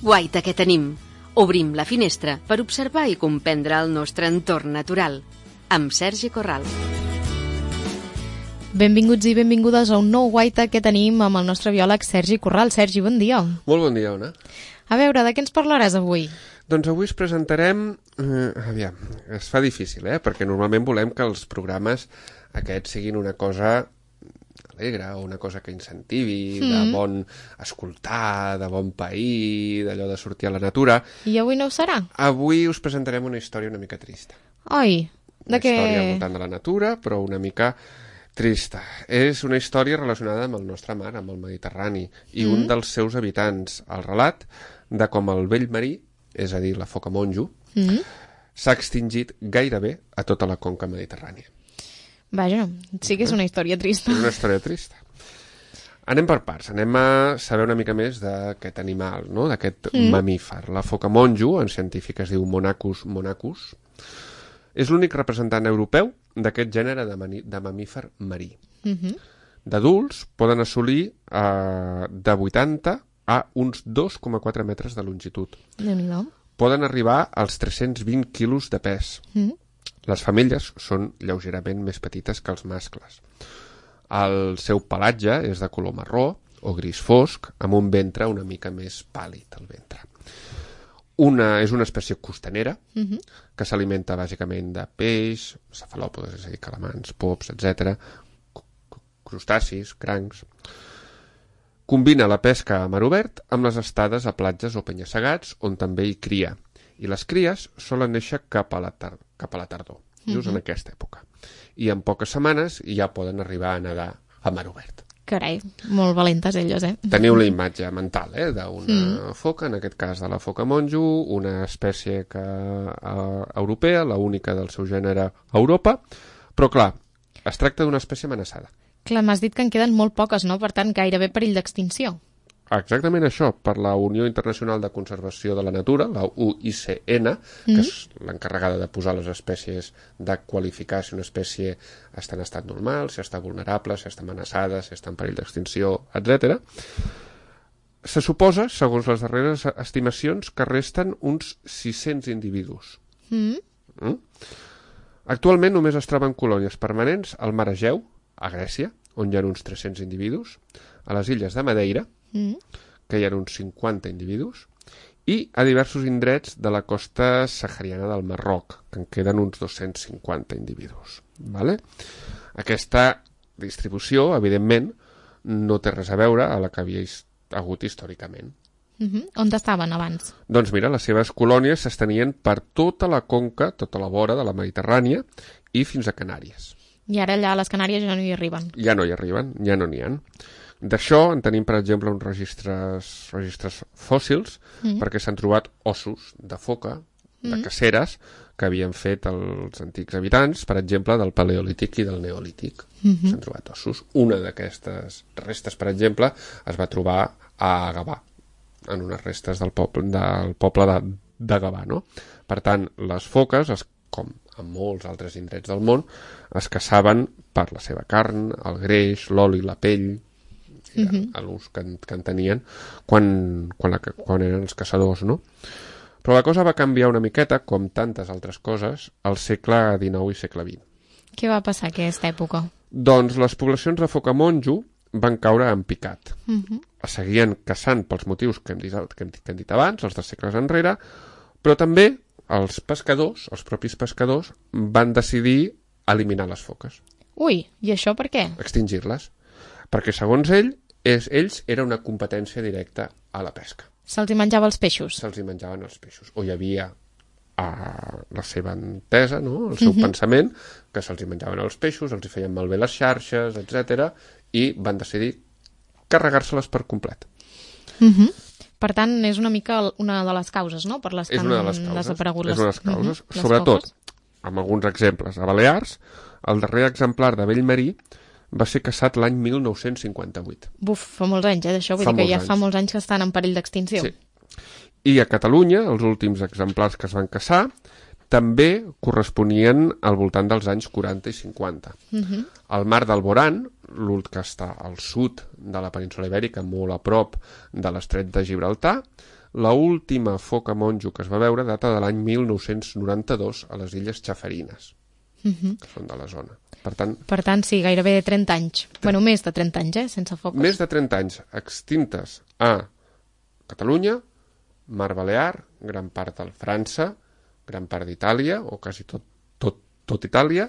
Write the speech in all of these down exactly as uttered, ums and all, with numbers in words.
Guaita que tenim. Obrim la finestra per observar i comprendre el nostre entorn natural. Amb Sergi Corral. Benvinguts i benvingudes a un nou Guaita que tenim amb el nostre biòleg Sergi Corral. Sergi, bon dia. Molt bon dia, Ona. A veure, de què ens parlaràs avui? Doncs avui us presentarem... Eh, aviam, es fa difícil, eh? Perquè normalment volem que els programes aquests siguin una cosa alegre, o una cosa que incentivi, mm. de bon escoltar, de bon pair, d'allò de sortir a la natura. I avui no ho serà? Avui us presentarem una història una mica trista. Oi, de una què? Una història al voltant de la natura, però una mica trista. És una història relacionada amb el nostre mar, amb el Mediterrani, i mm. un dels seus habitants, el relat de com el vell marí, és a dir, la foca monjo, mm. s'ha extingit gairebé a tota la conca mediterrània. Vaja, sí que és una història trista. És una història trista. Anem per parts, anem a saber una mica més d'aquest animal, no? D'aquest mm. mamífer. La foca monjo, en científic es diu Monachus monachus, és l'únic representant europeu d'aquest gènere de, mani, de mamífer marí. Mm-hmm. D'adults poden assolir eh, de vuitanta a uns dos coma quatre metres de longitud. Déu-n'hi-do. Poden arribar als tres-cents vint quilos de pes. Mm. Les femelles són lleugerament més petites que els mascles. El seu pelatge és de color marró o gris fosc, amb un ventre una mica més pàl·lid, el ventre. Una, és una espècie costanera, uh-huh. que s'alimenta bàsicament de peix, cefalòpodes, és a dir, calamars, pops, etcètera, crustacis, crancs. Combina la pesca a mar obert amb les estades a platges o penya-segats, on també hi cria. I les cries solen néixer cap a la, tar cap a la tardor, just uh-huh. en aquesta època. I en poques setmanes ja poden arribar a nedar a mar obert. Carai, molt valentes elles, eh? Teniu la imatge mental, eh, d'una mm. foca, en aquest cas de la foca monjo, una espècie que, uh, europea, la única del seu gènere a Europa, però clar, es tracta d'una espècie amenaçada. Clar, m'has dit que en queden molt poques, no? Per tant, gairebé perill d'extinció. Exactament això, per la Unió Internacional de Conservació de la Natura, la U I C N, que mm. és l'encarregada de posar les espècies, de qualificar si una espècie està en estat normal, si està vulnerable, si està amenaçada, si està en perill d'extinció, etcètera. Se suposa, segons les darreres estimacions, que resten uns sis-cents individus. Mm. Mm? Actualment només es troben colònies permanents al mar Egeu, a Grècia, on hi ha uns tres-cents individus, a les illes de Madeira, Mm. que hi ha uns cinquanta individus, i a diversos indrets de la costa sahariana del Marroc, que en queden uns dos-cents cinquanta individus. Vale? Aquesta distribució, evidentment, no té res a veure a la que havia hagut històricament. Mm-hmm. On estaven abans? Doncs mira, les seves colònies s'estenien per tota la conca, tota la vora de la Mediterrània i fins a Canàries. I ara allà a les Canàries ja no hi arriben? Ja no hi arriben, ja no n'hi ha. D'això en tenim, per exemple, uns registres, registres fòssils, mm. perquè s'han trobat ossos de foca, de mm. caceres, que havien fet els antics habitants, per exemple, del Paleolític i del Neolític. Mm-hmm. S'han trobat ossos. Una d'aquestes restes, per exemple, es va trobar a Gavà, en unes restes del poble, del poble de, de Gavà, no? Per tant, les foques, es, com en molts altres indrets del món, es caçaven per la seva carn, el greix, l'oli, la pell, mm-hmm. l'ús que, que en tenien quan, quan, la, quan eren els caçadors, no? Però la cosa va canviar una miqueta, com tantes altres coses, al segle dinou i segle vint. Què va passar a aquesta època? Doncs les poblacions de foca monjo van caure en picat. Mm-hmm. Es seguien caçant pels motius que hem, dit, que, hem, que hem dit abans, els de segles enrere, però també els pescadors, els propis pescadors, van decidir eliminar les foques. Ui, i això per què? Extingir-les. Perquè, segons ell, és, ells era una competència directa a la pesca. Se'ls hi menjava els peixos? Se'ls hi menjaven els peixos. O hi havia a la seva entesa, no? El seu mm-hmm. pensament, que se'ls hi menjaven els peixos, els hi feien malbé les xarxes, etcètera, i van decidir carregar-se-les per complet. Mhm. Per tant, és una mica una de les causes, no?, per les que han desaparegut les, és una de les causes. Mm-hmm. Sobretot, amb alguns exemples. A Balears, el darrer exemplar de vell marí va ser caçat l'any mil nou-cents cinquanta-vuit. Buf, fa molts anys, eh, d'això. Vull dir que ja anys. fa molts anys que estan en perill d'extinció. Sí. I a Catalunya, els últims exemplars que es van caçar, també corresponien al voltant dels anys quaranta i cinquanta. Uh-huh. El mar d'Alborán, l'últim que està al sud de la península Ibèrica, molt a prop de l'estret de Gibraltar, l'última foca monjo que es va veure data de l'any mil nou-cents noranta-dos a les illes Chafarinas, uh-huh. que són de la zona. Per tant, per tant, sí, gairebé trenta anys. Bueno, més de trenta anys, eh, sense foques. Més de trenta anys extintes a Catalunya, Mar Balear, gran part de França, gran part d'Itàlia, o quasi tot, tot, tot Itàlia,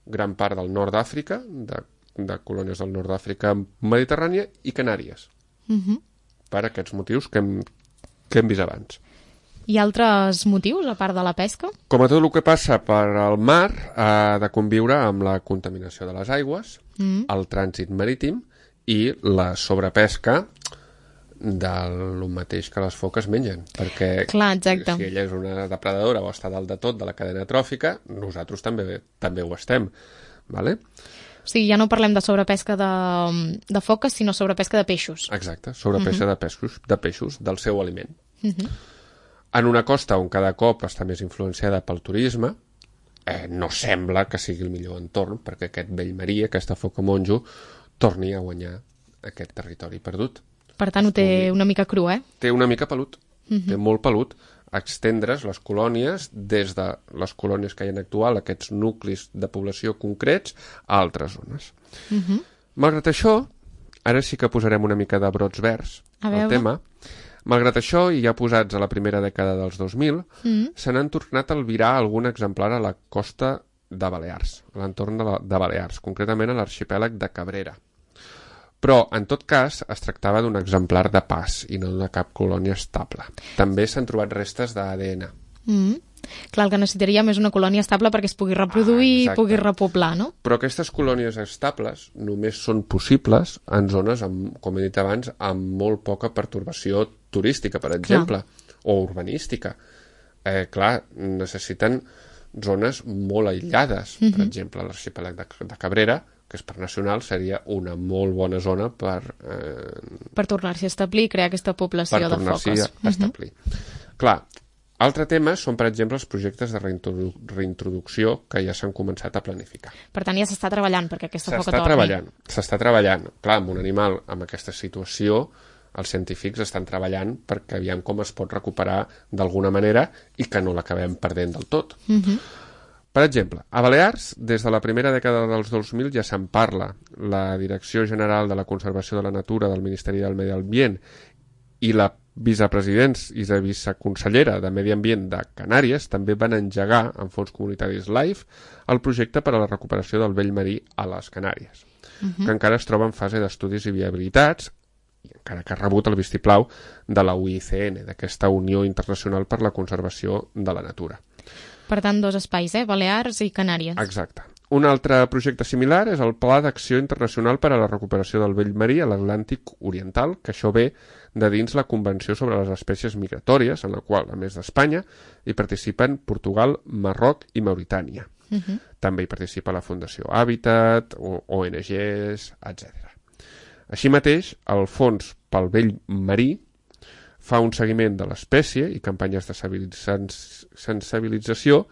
gran part del nord d'Àfrica, de, de colònies del nord d'Àfrica mediterrània, i Canàries. Uh-huh. Per aquests motius que hem, que hem vist abans. Hi ha altres motius, a part de la pesca? Com a tot el que passa per al mar, ha de conviure amb la contaminació de les aigües, mm. el trànsit marítim i la sobrepesca del mateix que les foques mengen. Perquè Clar, exacte. si ella és una depredadora o està dalt de tot de la cadena tròfica, nosaltres també també ho estem. Vale? O sigui, ja no parlem de sobrepesca de, de foques, sinó sobrepesca de peixos. Exacte, sobrepesca uh-huh. de peixos, de peixos, del seu aliment. Uh-huh. En una costa on cada cop està més influenciada pel turisme, eh, no sembla que sigui el millor entorn perquè aquest vell marí, aquesta foca monjo, torni a guanyar aquest territori perdut. Per tant, ho té una mica cru, eh? Té una mica pelut, uh-huh. té molt pelut. Extendre's les colònies des de les colònies que hi ha actual, aquests nuclis de població concrets, a altres zones. Uh-huh. Malgrat això, ara sí que posarem una mica de brots verds al tema. Malgrat això, i ja posats a la primera dècada dels dos mil, mm. se n'han tornat a albirar algun exemplar a la costa de Balears, a l'entorn de, la, de Balears, concretament a l'arxipèlag de Cabrera. Però, en tot cas, es tractava d'un exemplar de pas i no d'una cap colònia estable. També s'han trobat restes d'A D N. Mm. Clar, el que necessitaríem és una colònia estable perquè es pugui reproduir i ah, pugui repoblar, no? Però aquestes colònies estables només són possibles en zones, amb, com he dit abans, amb molt poca pertorbació turística, per exemple, clar. O urbanística. Eh, clar, necessiten zones molt aïllades. Mm-hmm. Per exemple, l'arxipèlag de, de Cabrera, que és per nacional, seria una molt bona zona per... Eh, per tornar-s'hi a establir i crear aquesta població de foques. Per tornar-s'hi a establir. Mm-hmm. Clar, altre tema són, per exemple, els projectes de reintrodu reintroducció que ja s'han començat a planificar. Per tant, ja s'està treballant perquè aquesta foca torni. S'està treballant, s'està treballant. Clar, amb un animal amb aquesta situació, els científics estan treballant perquè aviam com es pot recuperar d'alguna manera i que no l'acabem perdent del tot. Mm-hmm. Per exemple, a Balears, des de la primera dècada dels dos mil ja se'n parla. La Direcció General de la Conservació de la Natura del Ministeri del Medi Ambient i la vicepresidents i la viceconsellera de Medi Ambient de Canàries també van engegar, en fons comunitaris LIFE, el projecte per a la recuperació del vell marí a les Canàries, uh-huh. que encara es troba en fase d'estudis i viabilitats, i encara que ha rebut el vistiplau de la U I C N, d'aquesta Unió Internacional per la Conservació de la Natura. Per tant, dos espais, eh? Balears i Canàries. Exacte. Un altre projecte similar és el Pla d'Acció Internacional per a la Recuperació del Vell Marí a l'Atlàntic Oriental, que això ve de dins la Convenció sobre les Espècies Migratòries, en la qual, a més d'Espanya, hi participen Portugal, Marroc i Mauritània. Uh-huh. També hi participa la Fundació Hàbitat, O N Ges, etcètera. Així mateix, el Fons pel Vell Marí fa un seguiment de l'espècie i campanyes de sensibilització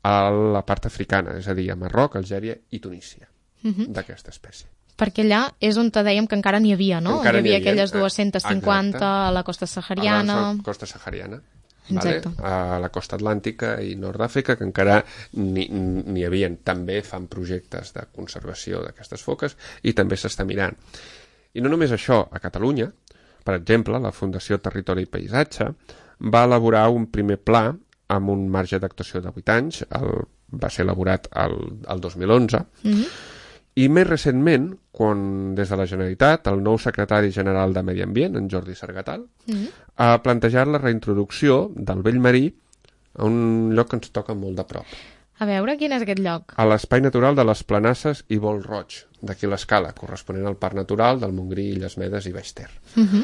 a la part africana, és a dir, a Marroc, Algèria i Tunísia, uh-huh. d'aquesta espècie. Perquè allà és on te dèiem que encara n'hi havia, no? Encara hi havia n'hi havia aquelles dues-centes cinquanta exacte. A la costa sahariana... A la costa sahariana, vale? A la costa atlàntica i nord d'Àfrica, que encara n'hi havia. També fan projectes de conservació d'aquestes foques i també s'està mirant. I no només això, a Catalunya, per exemple, la Fundació Territori i Paisatge va elaborar un primer pla amb un marge d'actuació de vuit anys, el, va ser elaborat el, el dos mil onze, mm-hmm. i més recentment, quan des de la Generalitat, el nou secretari general de Medi Ambient, en Jordi Sargatal, mm-hmm. ha plantejat la reintroducció del vell marí a un lloc que ens toca molt de prop. A veure, quin és aquest lloc? A l'espai natural de les Planasses i Vol Roig, d'aquí l'escala, corresponent al Parc Natural del Montgrí, Illes Medes i Baix Ter. Uh-huh.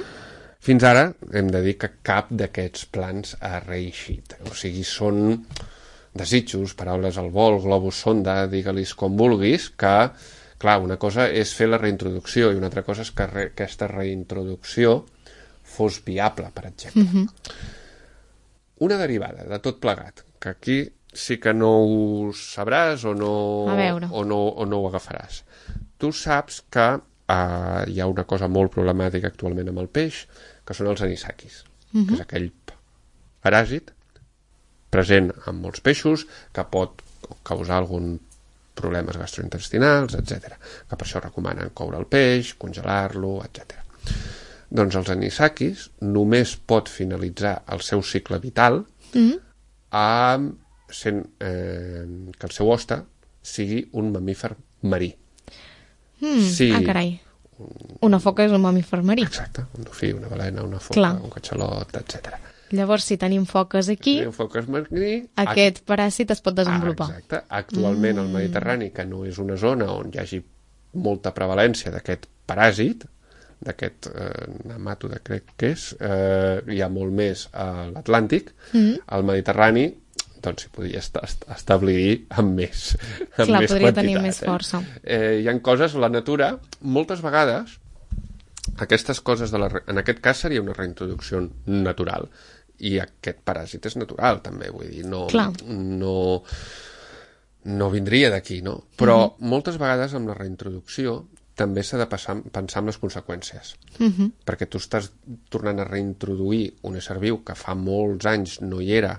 Fins ara hem de dir que cap d'aquests plans ha reeixit. O sigui, són desitjos, paraules al vol, globus sonda, digue-lis com vulguis, que, clar, una cosa és fer la reintroducció i una altra cosa és que re aquesta reintroducció fos viable, per exemple. Uh-huh. una derivada de tot plegat, que aquí sí que no ho sabràs o no, o no, o no ho agafaràs. Tu saps que uh, hi ha una cosa molt problemàtica actualment amb el peix, que són els anisakis, uh-huh. que és aquell paràsit present en molts peixos que pot causar algun problemes gastrointestinals, etcètera. Que per això recomanen coure el peix, congelar-lo, etcètera. Doncs els anisakis només pot finalitzar el seu cicle vital mm-hmm. amb sent, eh, que el seu hoste sigui un mamífer marí. Mm, sí. Ah, carai. Una foca és un mamífer marí. Exacte, un dofí, una balena, una foca, Clar. un catxalot, etcètera. Llavors, si tenim foques aquí, si tenim foques marí, aquest paràsit es pot desenvolupar. Ah, exacte. Actualment, mm. el Mediterrani, que no és una zona on hi hagi molta prevalència d'aquest paràsit, d'aquest eh, nemàtode, crec que és, eh, hi ha molt més a l'Atlàntic, mm. al Mediterrani, doncs s'hi podria est est establir amb més, amb Clar, més podria quantitat. tenir més força. Eh? Eh, hi ha coses, la natura, moltes vegades, aquestes coses, de la, en aquest cas seria una reintroducció natural, i aquest paràsit és natural, també, vull dir, no, no, no vindria d'aquí, no? Però mm-hmm. moltes vegades amb la reintroducció també s'ha de passar, pensar en les conseqüències, mm-hmm. perquè tu estàs tornant a reintroduir un ésser viu que fa molts anys no hi era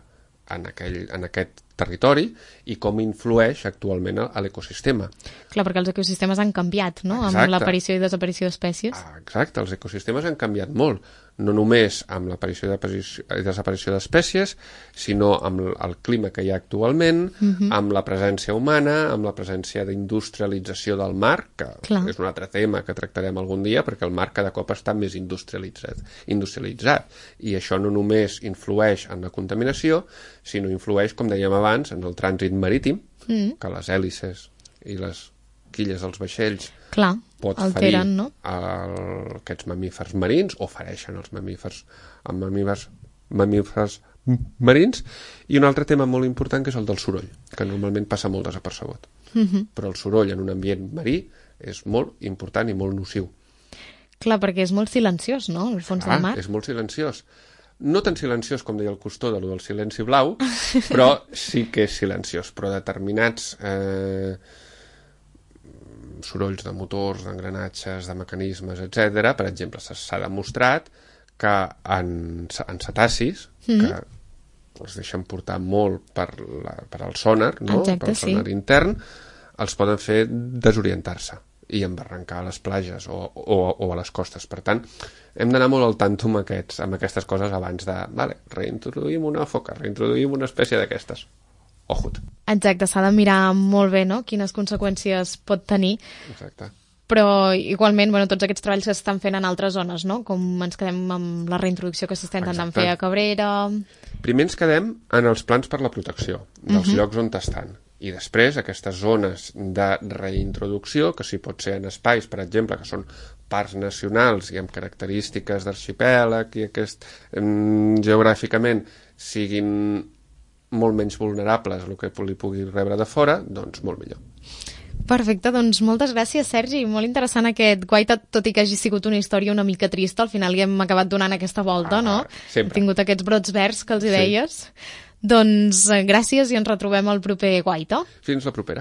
en, aquell, en aquest territori i com influeix actualment a l'ecosistema. Clar, perquè els ecosistemes han canviat, no? Exacte. Amb l'aparició i desaparició d'espècies. Ah, exacte, els ecosistemes han canviat molt, no només amb l'aparició i desaparició d'espècies, sinó amb el clima que hi ha actualment, uh-huh. amb la presència humana, amb la presència d'industrialització del mar, que Clar. és un altre tema que tractarem algun dia, perquè el mar cada cop està més industrialitzat, industrialitzat. I això no només influeix en la contaminació, sinó influeix, com dèiem abans, en el trànsit marítim, mm. que les hèlices i les quilles dels vaixells Clar, pot alteren, ferir no? el, aquests mamífers marins o fereixen els mamífers, amb mamífers, mamífers marins. I un altre tema molt important que és el del soroll, que normalment passa molt desapercebut. Mm-hmm. Però el soroll en un ambient marí és molt important i molt nociu. Clar, perquè és molt silenciós, no?, al fons ah, del mar. És molt silenciós. No tan silenciós com deia el Cousteau de lo del silenci blau, però sí que és silenciós. Però determinats eh, sorolls de motors, d'engranatges, de mecanismes, etcètera, per exemple, s'ha demostrat que en, en cetacis, mm-hmm. que els deixen portar molt per, la, per al sonar, no? Exacte, per al sonar sí. intern, els poden fer desorientar-se i embarrancar a les platges o, o, o a les costes. Per tant, hem d'anar molt al tanto amb, aquests, amb aquestes coses abans de, vale, reintroduïm una foca, reintroduïm una espècie d'aquestes. Ojut. Exacte, s'ha de mirar molt bé, no?, quines conseqüències pot tenir. Exacte. Però igualment, bueno, tots aquests treballs que s'estan fent en altres zones, no?, com ens quedem amb la reintroducció que s'està intentant fer a Cabrera. Primer ens quedem en els plans per la protecció dels uh-huh. llocs on estan. I després aquestes zones de reintroducció, que sí pot ser en espais, per exemple, que són parcs nacionals i amb característiques d'arxipèlag i aquest, mm, geogràficament siguin molt menys vulnerables a el que li pugui rebre de fora, doncs molt millor. Perfecte, doncs moltes gràcies, Sergi. Molt interessant aquest guaita, tot i que hagi sigut una història una mica trista, al final hi hem acabat donant aquesta volta, ah, no? Sempre. Hem tingut aquests brots verds que els hi sí. deies. Doncs gràcies i ens retrobem al proper guaita. Fins la propera.